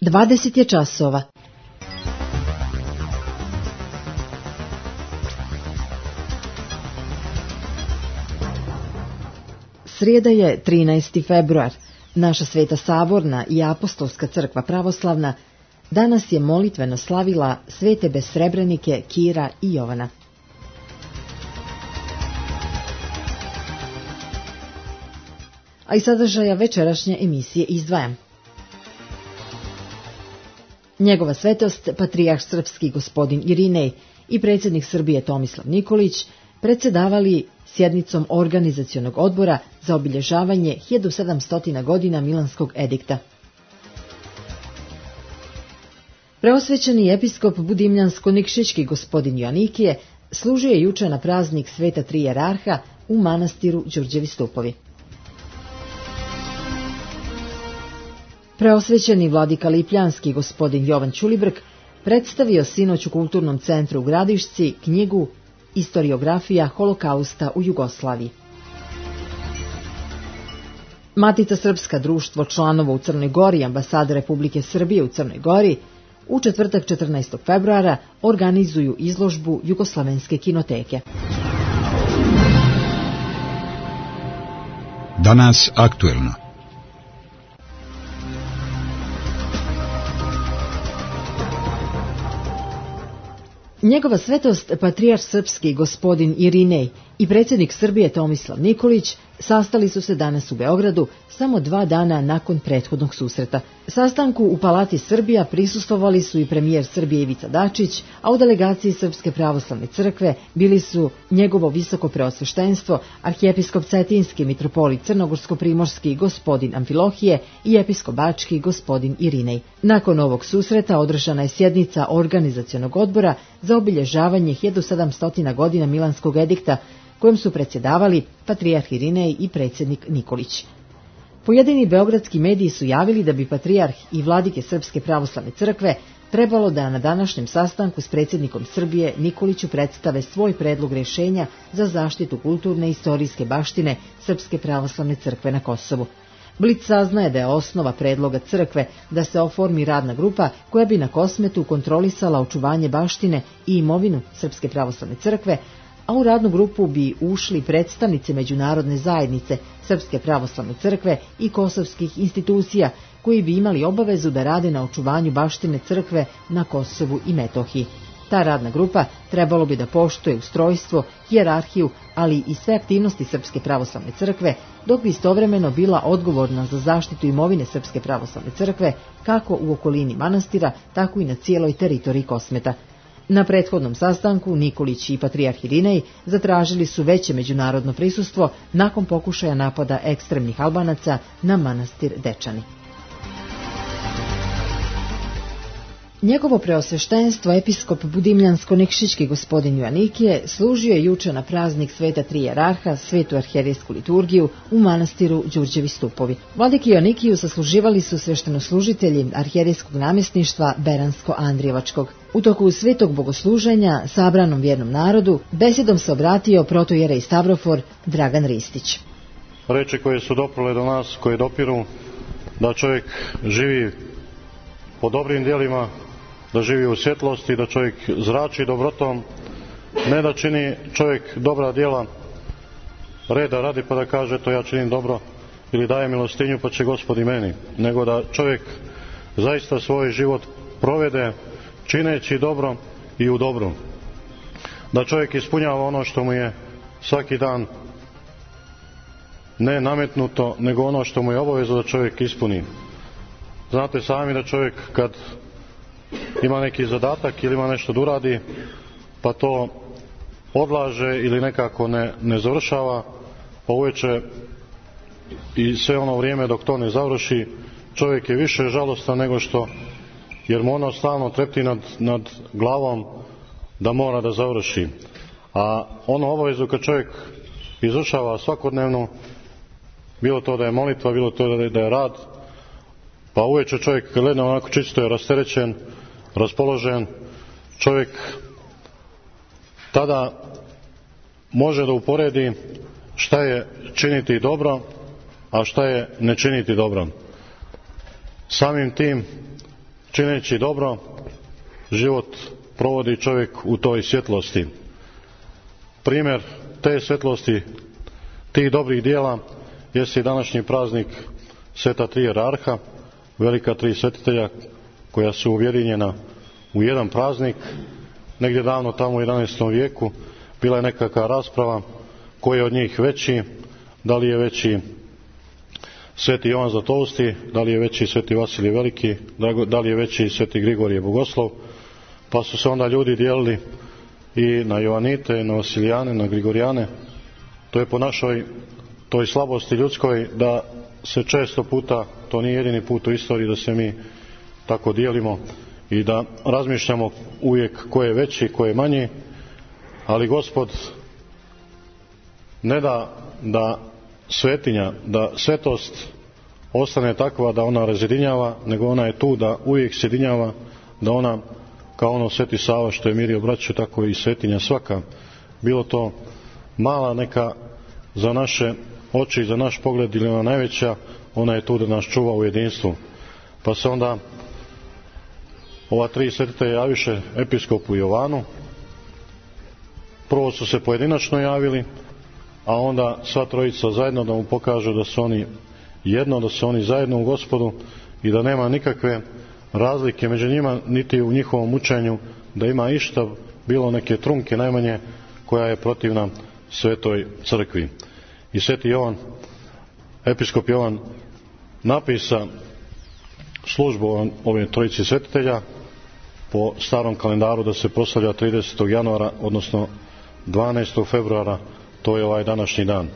20 je časova. Srijeda je 13. februar. Naša Sveta Saborna i Apostolska crkva pravoslavna danas je molitveno slavila svete besrebrenike Kira i Jovana. A iz sadržaja večerašnje emisije izdvajam. Njegova svetost, patrijarh srpski gospodin Irinej i predsjednik Srbije Tomislav Nikolić predsjedavali sjednicom organizacionog odbora za obilježavanje 1700 godina Milanskog edikta. Preosvećeni episkop Budimljansko-Nikšićki gospodin Joanikije služio je juče na praznik Sveta Tri jerarha u manastiru Đurđevi Stupovi. Preosvećeni vladika Lipljanski gospodin Jovan Ćulibrk predstavio sinoć u Kulturnom centru u Gradišci knjigu Istoriografija holokausta u Jugoslaviji. Matica Srpska, društvo članova u Crnoj Gori, ambasada Republike Srbije u Crnoj Gori, u četvrtak 14. februara organizuju izložbu Jugoslavenske kinoteke. Danas aktuelno. Njegova svetost, patrijarh srpski gospodin Irinej i predsjednik Srbije Tomislav Nikolić sastali su se danas u Beogradu samo 2 dana nakon prethodnog susreta. Sastanku u Palati Srbija prisustvovali su i premijer Srbije Ivica Dačić, a u delegaciji Srpske pravoslavne crkve bili su njegovo visoko preosveštenstvo, arhijepiskop Cetinski, mitropolit Crnogorsko-primorski gospodin Amfilohije i episkop Bački gospodin Irinej. Nakon ovog susreta održana je sjednica organizacionog odbora za obilježavanje 1700 godina Milanskog edikta, kojom su predsjedavali patrijarh Irinej i predsjednik Nikolić. Pojedini beogradski mediji su javili da bi patrijarh i vladike Srpske pravoslavne crkve trebalo da na današnjem sastanku s predsjednikom Srbije Nikoliću predstave svoj predlog rješenja za zaštitu kulturne i istorijske baštine Srpske pravoslavne crkve na Kosovu. Blic saznaje da je osnova predloga crkve da se oformi radna grupa koja bi na Kosmetu kontrolisala očuvanje baštine i imovinu Srpske pravoslavne crkve, a u radnu grupu bi ušli predstavnici međunarodne zajednice Srpske pravoslavne crkve i kosovskih institucija koji bi imali obavezu da rade na očuvanju baštine crkve na Kosovu i Metohiji. Ta radna grupa trebalo bi da poštuje ustrojstvo, hijerarhiju, ali i sve aktivnosti Srpske pravoslavne crkve, dok bi istovremeno bila odgovorna za zaštitu imovine Srpske pravoslavne crkve kako u okolini manastira, tako i na cijeloj teritoriji Kosmeta. Na prethodnom sastanku Nikolić i patrijarh Irinej zatražili su veće međunarodno prisustvo nakon pokušaja napada ekstremnih Albanaca na manastir Dečani. Njegovo preosveštenstvo, episkop Budimljansko-Nikšićki gospodin Joanikije, služio je juče na praznik Sveta Tri jerarha, svetu arhijerejsku liturgiju u manastiru Đurđevi Stupovi. Vladiki Joanikiju sasluživali su sveštenoslužitelji arhijerejskog namjesništva Beransko-Andrijevačkog. U toku svetog bogosluženja sabranom vjernom narodu besedom se obratio protojerej Stavrofor Dragan Ristić. Reči koje su doprle do nas, koje dopiru da čovjek živi po dobrim djelima, da živi u svjetlosti, da čovjek zrači dobrotom, ne da čini čovjek dobra djela reda radi pa da kaže to ja činim dobro ili daje milostinju pa će Gospod i meni, nego da čovjek zaista svoj život provede čineći dobro i u dobru. Da čovjek ispunjava ono što mu je svaki dan ne nametnuto, nego ono što mu je obavezno da čovjek ispuni. Znate sami da čovjek kad ima neki zadatak ili ima nešto da uradi, pa to odlaže ili nekako ne završava, pa uveče i sve ono vrijeme dok to ne završi, čovjek je više žalostan nego što, jer mu ono stalno trepti nad glavom da mora da završi. A ono obavezu kad čovjek izvršava svakodnevno, bilo to da je molitva, bilo to da je rad, pa uveče čovjek gledne onako čisto je rasterećen, raspoložen, čovjek tada može da uporedi šta je činiti dobro, a šta je ne činiti dobro. Samim tim čineći dobro, život provodi čovjek u toj svjetlosti. Primjer te svjetlosti, tih dobrih dijela, jeste i današnji praznik Sveta tri jerarha, velika tri svetitelja koja su ujedinjena u jedan praznik. Negdje davno tamo u 11. vijeku bila je nekakva rasprava koji je od njih veći, da li je veći Sveti Jovan Zlatousti, da li je veći Sveti Vasilij Veliki, da li je veći Sveti Grigorije Bogoslov, pa su se onda ljudi dijelili i na Jovanite, na Vasilijane, na Grigorijane. To je po našoj toj slabosti ljudskoj da se često puta, to nije jedini put u istoriji da se mi tako dijelimo i da razmišljamo uvijek ko je veći, ko je manji, ali Gospod ne da svetinja, da svetost ostane takva da ona razjedinjava, nego ona je tu da uvijek sjedinjava, da ona kao ono Sveti Sava što je mirio braću, tako i svetinja svaka, bilo to mala neka za naše oči, za naš pogled ili ona najveća, ona je tu da nas čuva u jedinstvu. Pa se onda ova tri svetitelja javiše episkopu Jovanu. Prvo su se pojedinačno javili, a onda sva trojica zajedno da mu pokažu da su oni jedno, da su oni zajedno u Gospodu i da nema nikakve razlike među njima, niti u njihovom učenju, da ima išta, bilo neke trunke najmanje, koja je protivna Svetoj crkvi. I Sveti Jovan, episkop Jovan, napisa službu ove trojici svetitelja po starom kalendaru da se proslavlja 30. januara, odnosno 12. februara, to je ovaj današnji dan.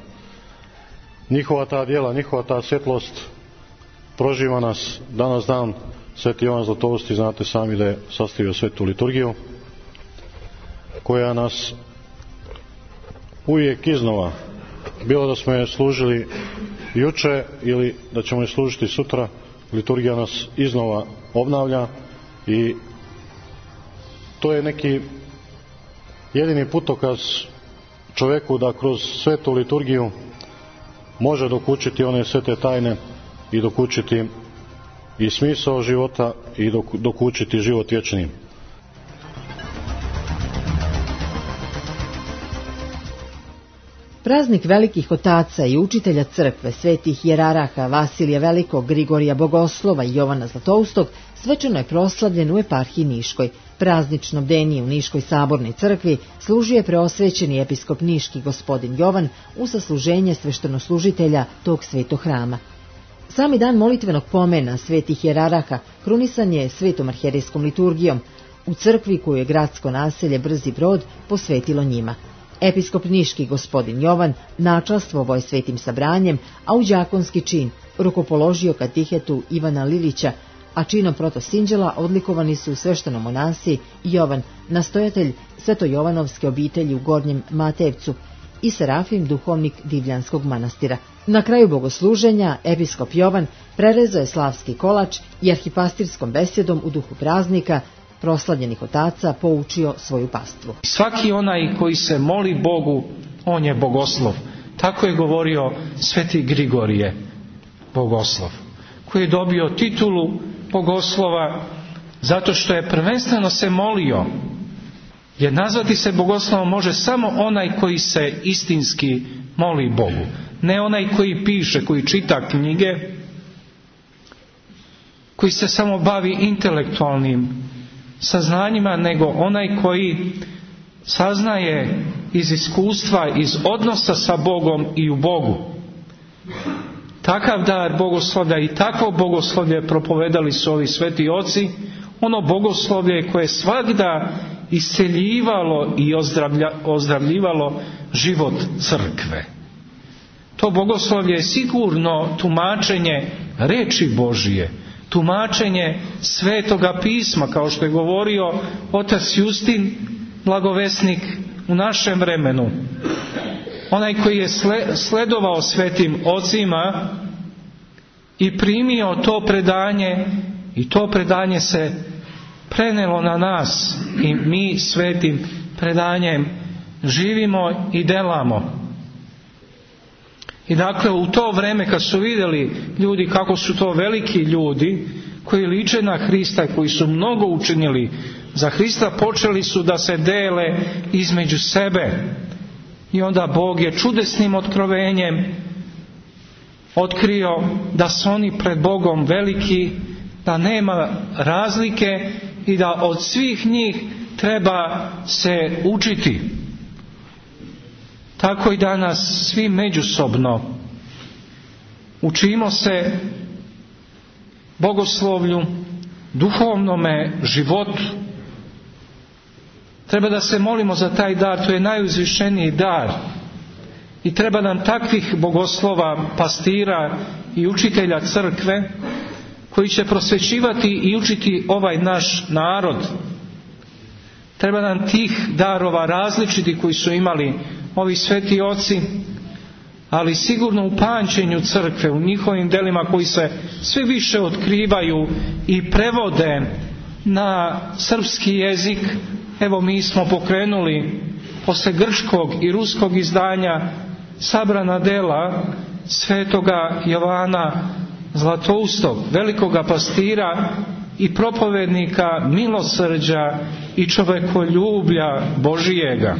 Njihova ta djela, njihova ta svjetlost proživa nas danas dan. Sveti Jovan Zlatousti, znate sami da je sastavio svetu liturgiju, koja nas uvijek iznova, bilo da smo je služili juče ili da ćemo je služiti sutra, liturgija nas iznova obnavlja i to je neki jedini putokaz čovjeku da kroz svetu liturgiju može dokučiti one svete tajne i dokučiti i smisao života i dokučiti život vječni. Praznik velikih otaca i učitelja crkve, svetih jeraraha Vasilija Velikog, Grigorija Bogoslova i Jovana Zlatoustog svečano je proslavljen u eparhiji Niškoj. Praznično bdenije u Niškoj sabornoj crkvi služio je preosvećeni episkop Niški gospodin Jovan u sasluženje sveštenoslužitelja tog svetog hrama. Sami dan molitvenog pomena svetih jeraraha krunisan je svetom arhijerejskom liturgijom u crkvi koju je gradsko naselje Brzi Brod posvetilo njima. Episkop Niški gospodin Jovan načastvovao je svetim sabranjem, a u đakonski čin rukopoložio katihetu Ivana Lilića, a činom protosinđela odlikovani su sveštenomonasi Jovan, nastojatelj svetojovanovske obitelji u Gornjem Matevcu, i Serafim, duhovnik Divljanskog manastira. Na kraju bogosluženja episkop Jovan prerezao je slavski kolač i arhipastirskom besedom u duhu praznika proslavljenih otaca poučio svoju pastvu. Svaki onaj koji se moli Bogu, on je bogoslov. Tako je govorio Sveti Grigorije Bogoslov, koji je dobio titulu bogoslova zato što je prvenstveno se molio. Jer nazvati se bogoslovom može samo onaj koji se istinski moli Bogu. Ne onaj koji piše, koji čita knjige, koji se samo bavi intelektualnim saznanjima, nego onaj koji saznaje iz iskustva, iz odnosa sa Bogom i u Bogu. Takav dar bogoslovlja i takvo bogoslovlje propovedali su ovi sveti oci, ono bogoslovlje koje svagda isceljivalo i ozdravljivalo život crkve. To bogoslovlje je sigurno tumačenje reči Božije, tumačenje Svetoga pisma, kao što je govorio otac Justin, blagovesnik u našem vremenu. Onaj koji je sledovao svetim ocima i primio to predanje, i to predanje se prenelo na nas i mi svetim predanjem živimo i delamo. I dakle u to vrijeme kad su vidjeli ljudi kako su to veliki ljudi, koji liče na Hrista, koji su mnogo učinili za Hrista, počeli su da se dele između sebe. I onda Bog je čudesnim otkrovenjem otkrio da su oni pred Bogom veliki, da nema razlike i da od svih njih treba se učiti. Tako i danas svi međusobno učimo se bogoslovlju, duhovnome životu. Treba da se molimo za taj dar, to je najuzvišeniji dar. I treba nam takvih bogoslova, pastira i učitelja crkve koji će prosvećivati i učiti ovaj naš narod. Treba nam tih darova različiti koji su imali ovi sveti oci, ali sigurno u pamćenju crkve, u njihovim delima koji se sve više otkrivaju i prevode na srpski jezik. Evo, mi smo pokrenuli posle grčkog i ruskog izdanja sabrana dela svetoga Jovana Zlatoustog, velikoga pastira i propovednika milosrđa i čovekoljublja Božijega.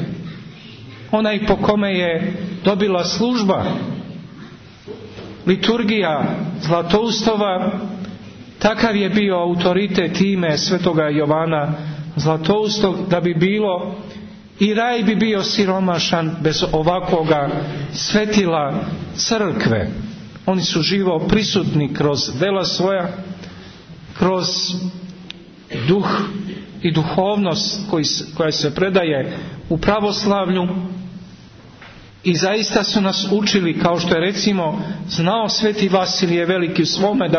Onaj po kome je dobila služba liturgija Zlatoustova, takav je bio autoritet ime svetoga Jovana Zlatoustog, da bi bilo i raj bi bio siromašan bez ovakvoga svetila crkve. Oni su živo prisutni kroz dela svoja, kroz duh i duhovnost koja se predaje u pravoslavlju, i zaista su nas učili, kao što je recimo znao sveti Vasilije Veliki u svome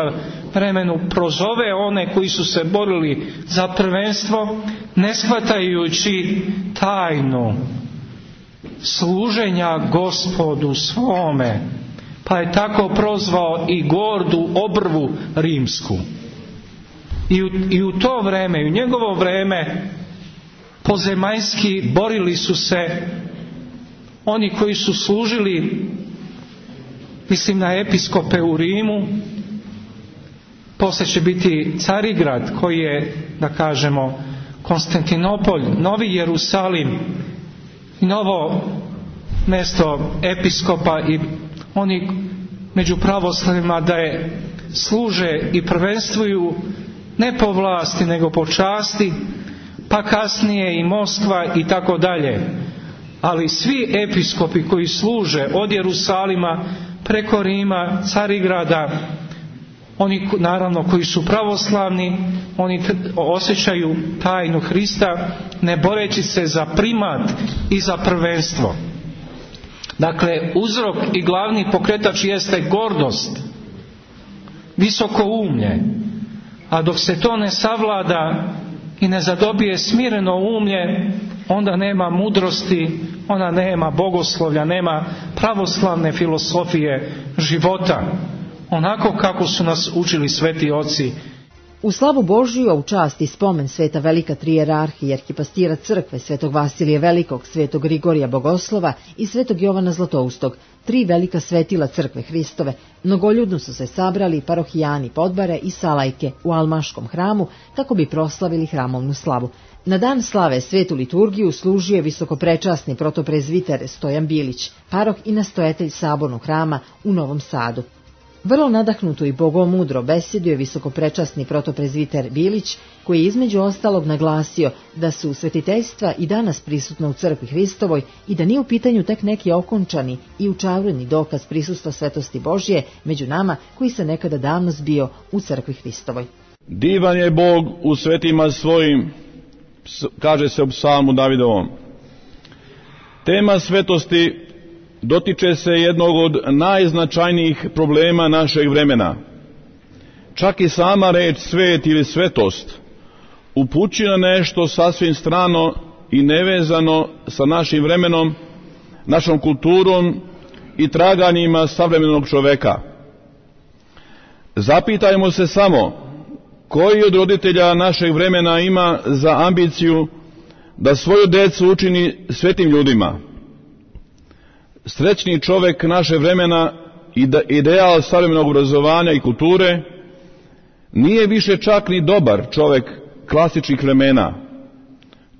vremenu prozove one koji su se borili za prvenstvo, ne shvatajući tajnu služenja Gospodu svome, pa je tako prozvao i gordu obrvu rimsku. I u to vreme, i u njegovo vreme, pozemaljski borili su se oni koji su služili, mislim na episkope u Rimu. Poslije će biti Carigrad, koji je, da kažemo, Konstantinopolj, Novi Jerusalim i novo mjesto episkopa, i oni među pravoslavima da je služe i prvenstvuju ne po vlasti nego po časti, pa kasnije i Moskva i tako dalje. Ali svi episkopi koji služe od Jerusalima preko Rima, Carigrada, oni naravno koji su pravoslavni, oni osjećaju tajnu Hrista, ne boreći se za primat i za prvenstvo. Dakle, uzrok i glavni pokretač jeste gordost, visokoumlje, a dok se to ne savlada i ne zadobije smireno umlje, onda nema mudrosti, onda nema bogoslovlja, nema pravoslavne filosofije života, onako kako su nas učili sveti oci. U slavu Božiju, a u čast i spomen sveta velika trijerarhija i arhipastira crkve svetog Vasilija Velikog, svetog Grigorija Bogoslova i svetog Jovana Zlatoustog, 3 velika svetila crkve Hristove, mnogoljudno su se sabrali parohijani Podbare i Salajke u Almaškom hramu kako bi proslavili hramovnu slavu. Na dan slave svetu liturgiju služio je visokoprečasni protoprezviter Stojan Bilić, paroh i nastojatelj sabornog hrama u Novom Sadu. Vrlo nadahnuto i bogomudro besedio je visokoprečasni protoprezviter Bilić, koji je između ostalog naglasio da su svetiteljstva i danas prisutna u crkvi Hristovoj i da nije u pitanju tek neki okončani i učaureni dokaz prisustva svetosti Božje među nama koji se nekada davno zbio u crkvi Hristovoj. Divan je Bog u svetima svojim, kaže se u psalmu Davidovom. Tema svetosti dotiče se jednog od najznačajnijih problema našeg vremena. Čak i sama reč svet ili svetost upućuje na nešto sasvim strano i nevezano sa našim vremenom, našom kulturom i traganjima savremenog čoveka. Zapitajmo se samo koji od roditelja našeg vremena ima za ambiciju da svoju decu učini svetim ljudima. Srećni čovek naše vremena i ideal savremenog obrazovanja i kulture nije više čak ni dobar čovjek klasičnih vremena.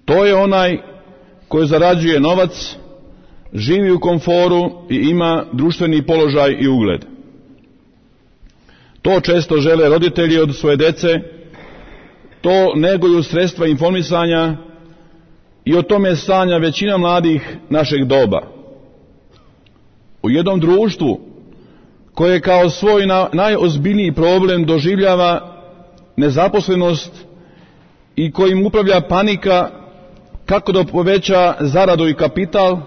To je onaj koji zarađuje novac, živi u komforu i ima društveni položaj i ugled. To često žele roditelji od svoje dece, to neguju sredstva informisanja i o tome sanja većina mladih našeg doba. U jednom društvu koje kao svoj najozbiljniji problem doživljava nezaposlenost i kojim upravlja panika kako da poveća zaradu i kapital,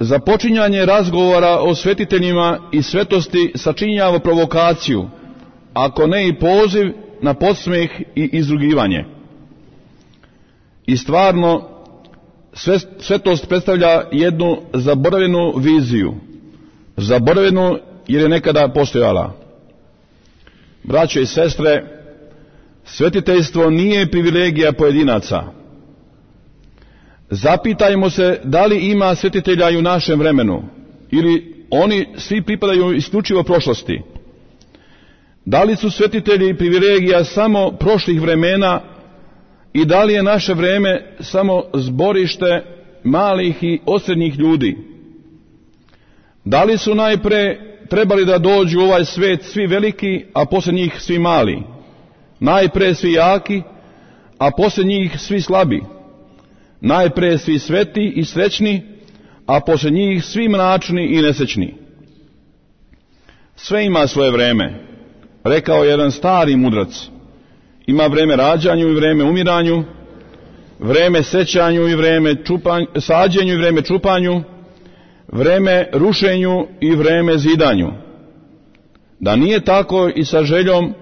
započinjanje razgovora o svetiteljima i svetosti sačinjava provokaciju, ako ne i poziv na podsmeh i izrugivanje. I stvarno, svetost predstavlja jednu zaboravljenu viziju, zaboravljenu jer je nekada postojala. Braćo i sestre, svetiteljstvo nije privilegija pojedinaca. Zapitajmo se da li ima svetitelja i u našem vremenu, ili oni svi pripadaju isključivo prošlosti. Da li su svetitelji privilegija samo prošlih vremena i da li je naše vreme samo zborište malih i osrednjih ljudi? Da li su najpre trebali da dođu u ovaj svet svi veliki, a poslije njih svi mali? Najpre svi jaki, a poslije njih svi slabi? Najpre svi sveti i srećni, a poslije njih svi mračni i nesrećni? Sve ima svoje vreme, rekao je jedan stari mudrac. Ima vreme rađanju i vreme umiranju, vreme sećanju i vreme sađenju i vreme čupanju, vreme rušenju i vreme zidanju. Da nije tako i sa željom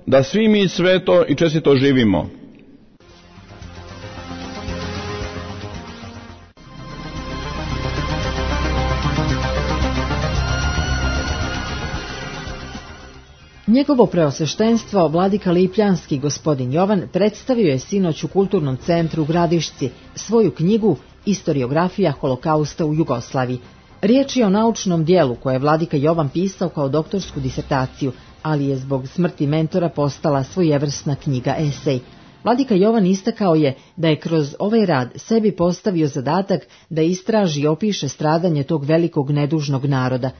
da svi mi sveto i čestito živimo. Njegovo preosveštenstvo, vladika Lipljanski gospodin Jovan, predstavio je sinoć u Kulturnom centru u Gradišci svoju knjigu Istoriografija holokausta u Jugoslaviji. Riječ je o naučnom dijelu koje je vladika Jovan pisao kao doktorsku disertaciju, ali je zbog smrti mentora postala svojevrsna knjiga esej. Vladika Jovan istakao je da je kroz ovaj rad sebi postavio zadatak da istraži i opiše stradanje tog velikog nedužnog naroda.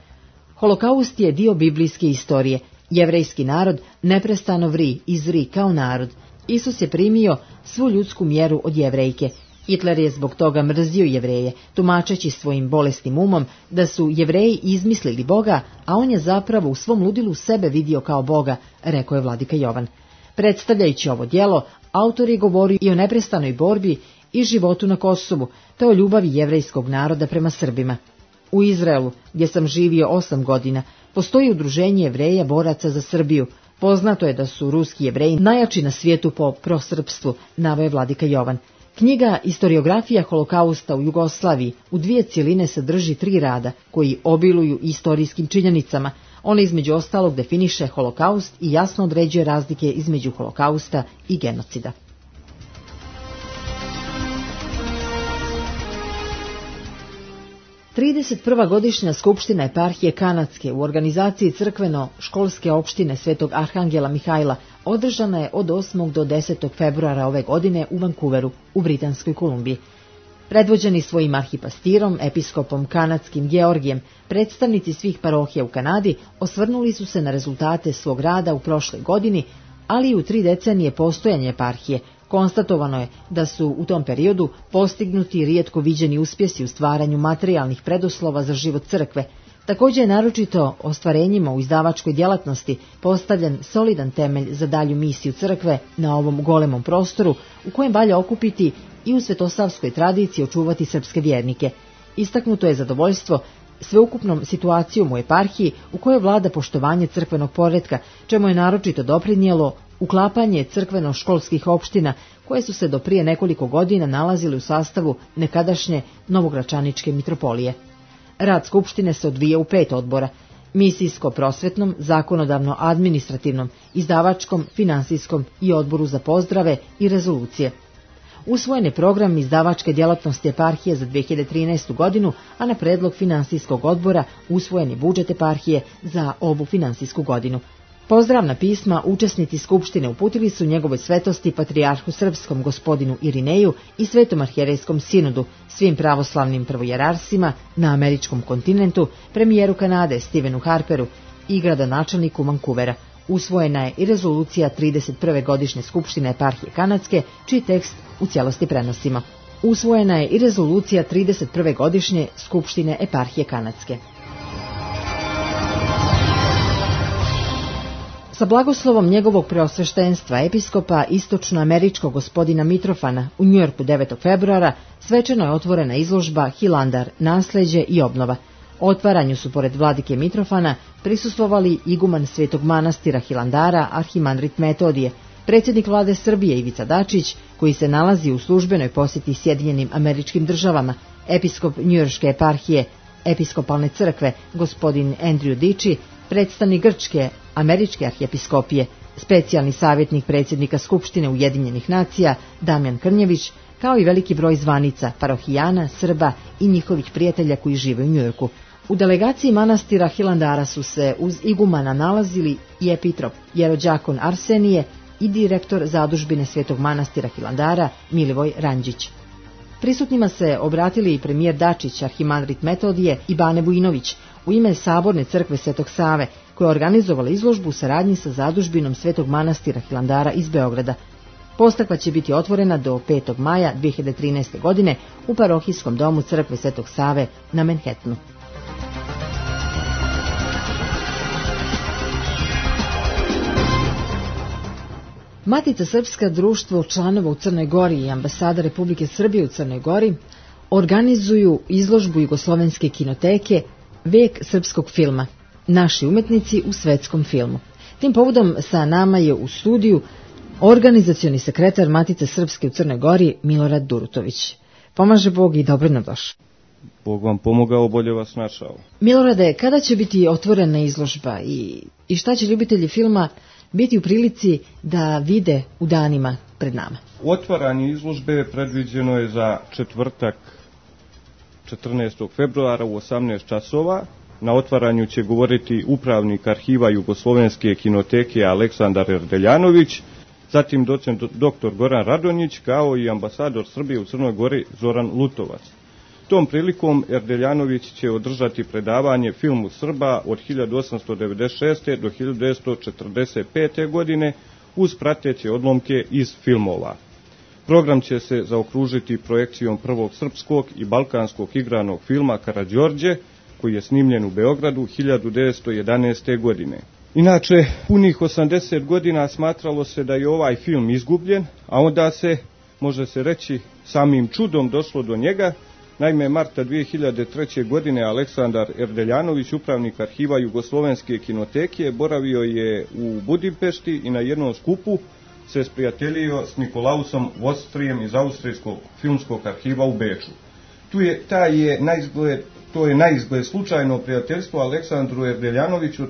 Holokaust je dio biblijske istorije. Jevrejski narod neprestano vri i zri kao narod. Isus je primio svu ljudsku mjeru od Jevrejke. Hitler je zbog toga mrzio Jevreje, tumačeći svojim bolesnim umom da su Jevreji izmislili Boga, a on je zapravo u svom ludilu sebe vidio kao Boga, rekao je vladika Jovan. Predstavljajući ovo djelo, autor je govorio i o neprestanoj borbi i životu na Kosovu, te o ljubavi jevrejskog naroda prema Srbima. U Izraelu, gdje sam živio 8 godina, postoji udruženje Jevreja boraca za Srbiju. Poznato je da su ruski Jevreji najjači na svijetu po prosrpstvu, naveo je vladika Jovan. Knjiga Istoriografija holokausta u Jugoslaviji u 2 cjeline sadrži 3 rada koji obiluju istorijskim činjenicama. Ona između ostalog definiše holokaust i jasno određuje razlike između holokausta i genocida. Trideset godišnja skupština eparhije Kanadske u organizaciji crkveno-školske opštine Svetog Arhangela Mihajla održana je od 8. do 10. februara ove godine u Vancouveru, u Britanskoj Kolumbiji. Predvođeni svojim arhipastirom, episkopom kanadskim Georgijem, predstavnici svih parohija u Kanadi osvrnuli su se na rezultate svog rada u prošloj godini, ali i u 3 decenije postojanja eparhije. Konstatovano je da su u tom periodu postignuti rijetko viđeni uspjesi u stvaranju materijalnih preduslova za život crkve. Također je naročito ostvarenjima u izdavačkoj djelatnosti postavljen solidan temelj za dalju misiju crkve na ovom golemom prostoru u kojem valja okupiti i u svetosavskoj tradiciji očuvati srpske vjernike. Istaknuto je zadovoljstvo sveukupnom situacijom u eparhiji u kojoj vlada poštovanje crkvenog poretka, čemu je naročito doprinijelo uklapanje crkveno-školskih opština koje su se do prije nekoliko godina nalazile u sastavu nekadašnje Novogračaničke mitropolije. Rad skupštine se odvija u 5 odbora: misijsko-prosvetnom, zakonodavno-administrativnom, izdavačkom, finansijskom i odboru za pozdrave i rezolucije. Usvojen je program izdavačke djelatnosti eparhije za 2013. godinu, a na predlog finansijskog odbora usvojen je budžet eparhije za ovu finansijsku godinu. Pozdravna pisma učesnici skupštine uputili su njegovoj svetosti patrijarhu srpskom gospodinu Irineju i svetom arhijerejskom sinodu, svim pravoslavnim prvojerarsima na američkom kontinentu, premijeru Kanade Stevenu Harperu i gradonačelniku Vancouvera. Usvojena je i rezolucija 31. godišnje skupštine eparhije kanadske, čiji tekst u cijelosti prenosimo. Usvojena je i rezolucija 31. godišnje skupštine eparhije kanadske. Sa blagoslovom njegovog preosveštenstva episkopa istočnoameričkog gospodina Mitrofana u Njujorku 9. februara svečano je otvorena izložba Hilandar, nasleđe i obnova. Otvaranju su pored vladike Mitrofana prisustvovali iguman Svetog manastira Hilandara Arhimandrit Metodije, predsjednik vlade Srbije Ivica Dačić, koji se nalazi u službenoj posjeti Sjedinjenim Američkim Državama, episkop njujorške eparhije episkopalne crkve gospodin Andrew Diči, predstavnik Grčke američke arhijepiskopije, specijalni savjetnik predsjednika Skupštine Ujedinjenih nacija Damjan Krnjević, kao i veliki broj zvanica, parohijana, Srba i njihovih prijatelja koji žive u Njujorku. U delegaciji manastira Hilandara su se uz igumana nalazili i epitrop, jerođakon Arsenije i direktor zadužbine Svetog manastira Hilandara Milivoj Ranđić. Prisutnima se obratili i premijer Dačić, arhimandrit Metodije i Bane Vujinović u ime Saborne crkve Svetog Save, koja je organizovala izložbu u saradnji sa zadužbinom Svetog manastira Hilandara iz Beograda. Postavka će biti otvorena do 5. maja 2013. godine u parohijskom domu crkve Svetog Save na Manhattanu. Matica Srpska, društvo članova u Crnoj Gori i ambasada Republike Srbije u Crnoj Gori organizuju izložbu Jugoslovenske kinoteke Vek srpskog filma, naši umetnici u svetskom filmu. Tim povodom sa nama je u studiju organizacioni sekretar Matice Srpske u Crnoj Gori Milorad Durutović. Pomaže Bog i dobro nam došao. Bog vam pomogao, bolje vas našao. Milorade, kada će biti otvorena izložba i šta će ljubitelji filma biti u prilici da vide u danima pred nama? Otvaranje izložbe predviđeno je za četvrtak 14. februara u 18 časova. Na otvaranju će govoriti upravnik arhiva Jugoslovenske kinoteke Aleksandar Erdeljanović, zatim docent dr. Goran Radonjić, kao i ambasador Srbije u Crnoj Gori Zoran Lutovac. Tom prilikom Erdeljanović će održati predavanje filmu Srba od 1896. do 1945. godine uz prateće odlomke iz filmova. Program će se zaokružiti projekcijom prvog srpskog i balkanskog igranog filma Karađorđe, koji je snimljen u Beogradu 1911. godine. Inače, punih 80 godina smatralo se da je ovaj film izgubljen, a onda se, može se reći, samim čudom došlo do njega. Naime, marta 2003. godine Aleksandar Erdeljanović, upravnik arhiva Jugoslovenske kinoteke, boravio je u Budimpešti i na jednom skupu se sprijateljio s Nikolausom Vostrijem iz Austrijskog filmskog arhiva u Beču. To je na izgled slučajno prijateljstvo Aleksandru Erdeljanoviću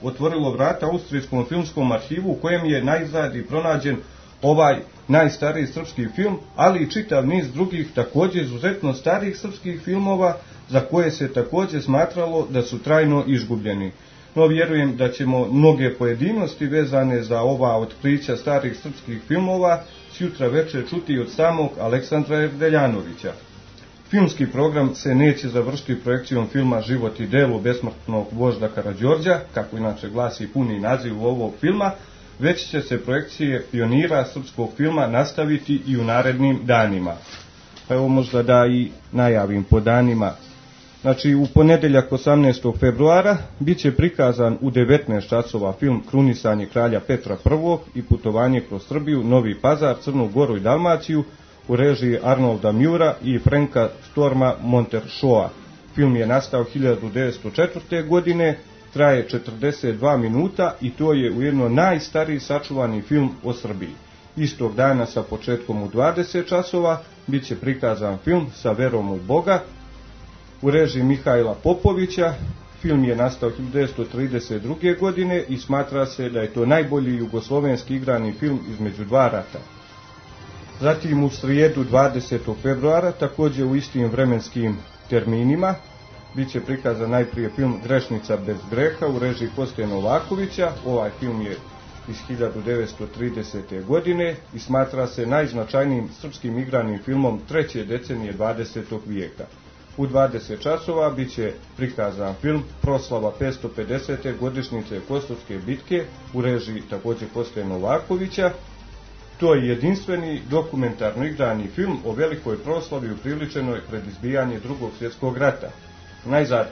otvorilo vrata Austrijskom filmskom arhivu, u kojem je najzad i pronađen ovaj najstariji srpski film, ali i čitav niz drugih također izuzetno starih srpskih filmova za koje se također smatralo da su trajno izgubljeni. No, vjerujem da ćemo mnoge pojedinosti vezane za ova otkrića starih srpskih filmova sjutra večer čuti od samog Aleksandra Erdeljanovića. Filmski program se neće završiti projekcijom filma Život i delo besmrtnog vožda Karađorđa, kako inače glasi puni naziv ovog filma, već će se projekcije pionira srpskog filma nastaviti i u narednim danima. Pa evo možda da i najavim po danima. Znači, u ponedjeljak 18. februara bit će prikazan u 19 časova film Krunisanje kralja Petra I i putovanje kroz Srbiju, Novi Pazar, Crnu Goru i Dalmaciju u režiji Arnolda Mjura i Franka Storma Montershoa. Film je nastao 1904. godine, traje 42 minuta i to je ujedno najstariji sačuvani film o Srbiji. Istog dana sa početkom u 20 časova bit će prikazan film Sa verom u Boga u režiji Mihajla Popovića. Film je nastao 1932. godine i smatra se da je to najbolji jugoslovenski igrani film između dva rata. Zatim u srijedu 20. februara, također u istim vremenskim terminima, biće prikazan najprije film Grešnica bez greha u režiji Koste Novakovića. Ovaj film je iz 1930. godine i smatra se najznačajnijim srpskim igranim filmom treće decenije 20. vijeka. U 20 časova biće prikazan film Proslava 550. godišnjice Kosovske bitke u režiji također Koste Novakovića. To je jedinstveni dokumentarno igrani film o velikoj proslavi upriličenoj pred izbijanje Drugog svjetskog rata. Najzad,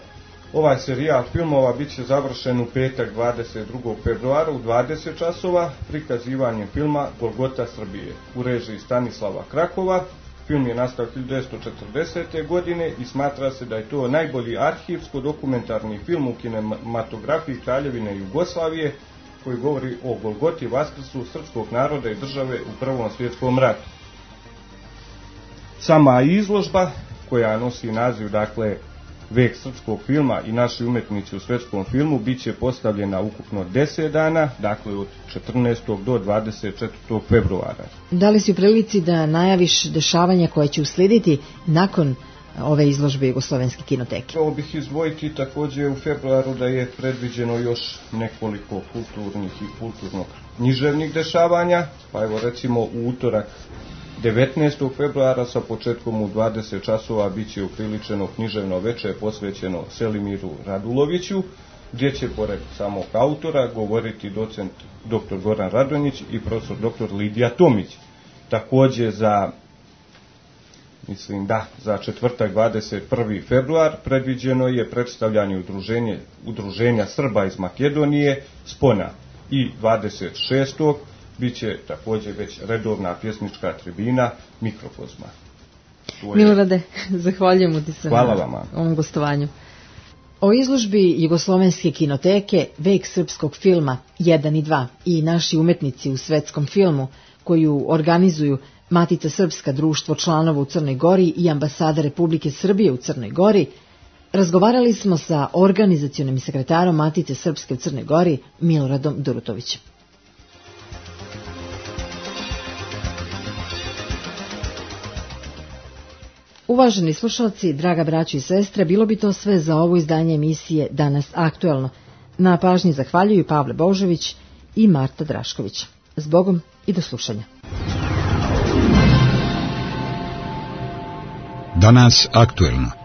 ovaj serijal filmova bit će završen u petak 22. februara u 20 časova prikazivanjem filma Golgota Srbije u režiji Stanislava Krakova. Film je nastao 1940. godine i smatra se da je to najbolji arhivsko-dokumentarni film u kinematografiji Kraljevine Jugoslavije koji govori o Golgoti, vaskrsu srpskog naroda i države u Prvom svjetskom ratu. Sama izložba, koja nosi naziv, dakle, Vek srpskog filma i naši umetnici u svjetskom filmu, bit će postavljena ukupno 10 dana, dakle od 14. do 24. februara. Da li si u prilici da najaviš dešavanja koje će uslijediti nakon ove izložbe Jugoslovenske kinoteke? Ovo bih izdvojiti također u februaru da je predviđeno još nekoliko kulturnih i kulturno-književnih dešavanja, pa evo recimo u utorak 19. februara sa početkom u 20 časova bit će upriličeno književno veče posvećeno Selimiru Raduloviću, gdje će pored samog autora govoriti docent dr. Goran Radonjić i profesor dr. Lidija Tomić. Također za četvrtak 21. februar predviđeno je predstavljanje udruženja Srba iz Makedonije Spona i 26. bit će također već redovna pjesnička tribina Mikrokozma. Milorade, zahvaljujemo ti se Hvala na vama. ovom gostovanju. O izložbi Jugoslovenske kinoteke Vek srpskog filma 1 i 2 i naši umetnici u svetskom filmu koju organizuju Matica Srpska, društvo članova u Crnoj Gori i ambasada Republike Srbije u Crnoj Gori, razgovarali smo sa organizacionim sekretarom Matice Srpske u Crnoj Gori Miloradom Durutovićem. Uvaženi slušalci, draga braćo i sestre, bilo bi to sve za ovo izdanje emisije Danas aktuelno. Na pažnji zahvaljuju Pavle Božović i Marta Drašković. Zbogom i do slušanja. Danas aktuelno.